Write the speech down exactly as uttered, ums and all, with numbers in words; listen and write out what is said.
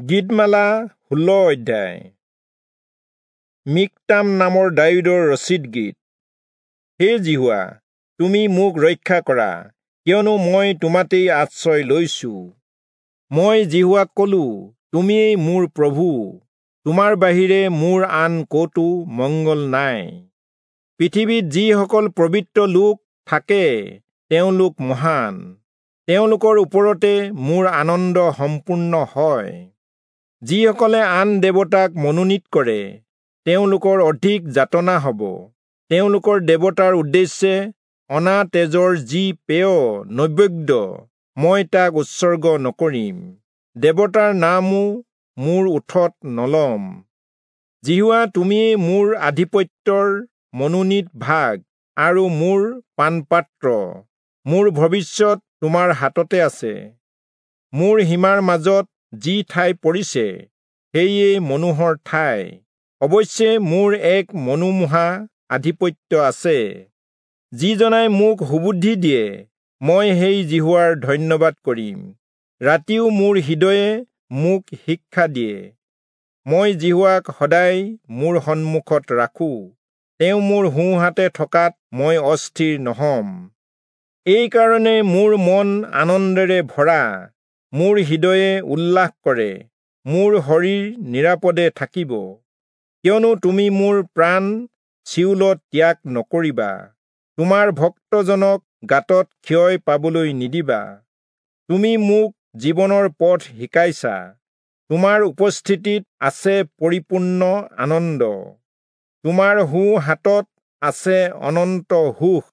গীতমালা ষোল্ল অধ্যায়। মিকতাম নামৰ দায়ূদৰ ৰচিত গীত। হে যিহোৱা, তুমি মোক ৰক্ষা কৰা, কিয়নো মই তোমাতেই আশ্ৰয় লৈছো। মই যিহোৱাক কলো, তুমিয়েই মোৰ প্ৰভু, তোমাৰ বাহিৰে মোৰ আন ক'তো মংগল নাই। পৃথিৱীত যিসকল পবিত্ৰ লোক থাকে তেওঁলোক মহান, তেওঁলোকৰ ওপৰতে মোৰ আনন্দ সম্পূৰ্ণ হয়। যিসকলে আন দেৱতাক মনোনীত কৰে তেওঁলোকৰ অধিক যাতনা হ'ব। তেওঁলোকৰ দেৱতাৰ উদ্দেশ্যে অনা তেজৰ যি পেয় নৈবেদ্য, মই তাক উৎসৰ্গ নকৰিম, দেৱতাৰ নামো মোৰ ওঠত নলম। যিহোৱা, তুমিয়েই মোৰ আধিপত্যৰ মনোনীত ভাগ আৰু মোৰ পানপাত্ৰ, মোৰ ভৱিষ্যত তোমাৰ হাততে আছে। মোৰ সীমাৰ মাজত যি ঠাই পৰিছে সেয়ে মনোহৰ ঠাই, অৱশ্যে মোৰ এক মনোমোহা আধিপত্য আছে। যিজনাই মোক সুবুদ্ধি দিয়ে, মই সেই যিহোৱাৰ ধন্যবাদ কৰিম। ৰাতিও মোৰ হৃদয়ে মোক শিক্ষা দিয়ে। মই যিহোৱাক সদায় মোৰ সন্মুখত ৰাখোঁ, তেওঁ মোৰ সোঁহাতে থকাত মই অস্থিৰ নহম। এইকাৰণে মোৰ মন আনন্দেৰে ভৰা, মোৰ হৃদয়ে উল্লাস কৰে, মোৰ শৰীৰ নিৰাপদে থাকিব। কিয়নো তুমি মোৰ প্ৰাণ চিয়োলত ত্যাগ নকৰিবা, তোমাৰ ভক্তজনক গাঁতত ক্ষয় পাবলৈ নিদিবা। তুমি মোক জীৱনৰ পথ শিকাইছা, তোমাৰ উপস্থিতিত আছে পৰিপূৰ্ণ আনন্দ, তোমাৰ সোঁ হাতত আছে অনন্ত সুখ।